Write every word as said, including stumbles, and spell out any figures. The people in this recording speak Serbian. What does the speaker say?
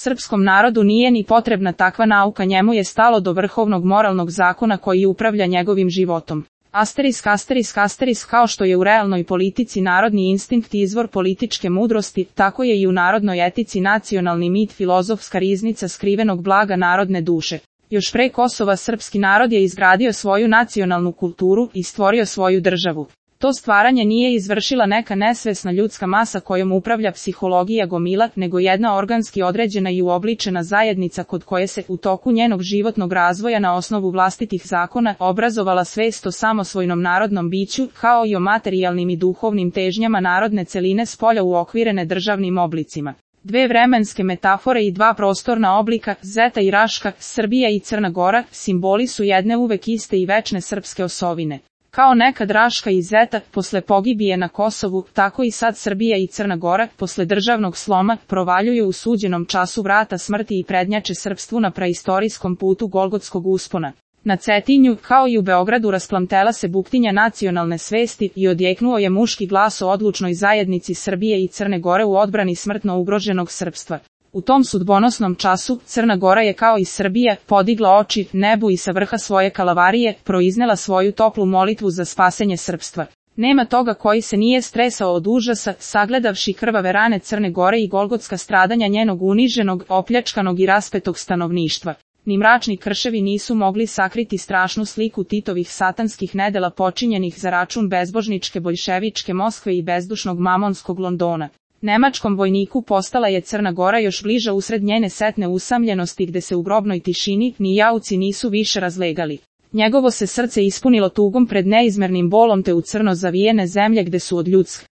Srpskom narodu nije ni potrebna takva nauka, njemu je stalo do vrhovnog moralnog zakona koji upravlja njegovim životom. Asterisk, asterisk, asterisk, kao što je u realnoj politici narodni instinkt izvor političke mudrosti, tako je i u narodnoj etici nacionalni mit filozofska riznica skrivenog blaga narodne duše. Još pre Kosova srpski narod je izgradio svoju nacionalnu kulturu i stvorio svoju državu. To stvaranje nije izvršila neka nesvesna ljudska masa kojom upravlja psihologija gomila, nego jedna organski određena i uobličena zajednica kod koje se u toku njenog životnog razvoja na osnovu vlastitih zakona obrazovala svest o samosvojnom narodnom biću, kao i o materijalnim i duhovnim težnjama narodne celine spolja uokvirene državnim oblicima. Dve vremenske metafore i dva prostorna oblika, Zeta i Raška, Srbija i Crna Gora, simboli su jedne uvek iste i večne srpske osovine. Kao nekad Raška i Zeta, posle pogibije na Kosovu, tako i sad Srbija i Crna Gora, posle državnog sloma, provaljuju u suđenom času vrata smrti i prednjače srpstvu na praistorijskom putu Golgotskog uspona. Na Cetinju, kao i u Beogradu, rasplamtela se buktinja nacionalne svesti i odjeknuo je muški glas o odlučnoj zajednici Srbije i Crne Gore u odbrani smrtno ugroženog srpstva. U tom sudbonosnom času, Crna Gora je kao i Srbija podigla oči nebu i sa vrha svoje kalavarije proiznela svoju toplu molitvu za spasenje srpstva. Nema toga koji se nije stresao od užasa, sagledavši krvave rane Crne Gore i golgotska stradanja njenog uniženog, opljačkanog i raspetog stanovništva. Ni mračni krševi nisu mogli sakriti strašnu sliku Titovih satanskih nedela počinjenih za račun bezbožničke boljševičke Moskve i bezdušnog mamonskog Londona. Nemačkom vojniku postala je Crna Gora još bliža usred njene setne usamljenosti gde se u grobnoj tišini ni jauci nisu više razlegali. Njegovo se srce ispunilo tugom pred neizmernim bolom te u crno zavijene zemlje gde su od ljudskih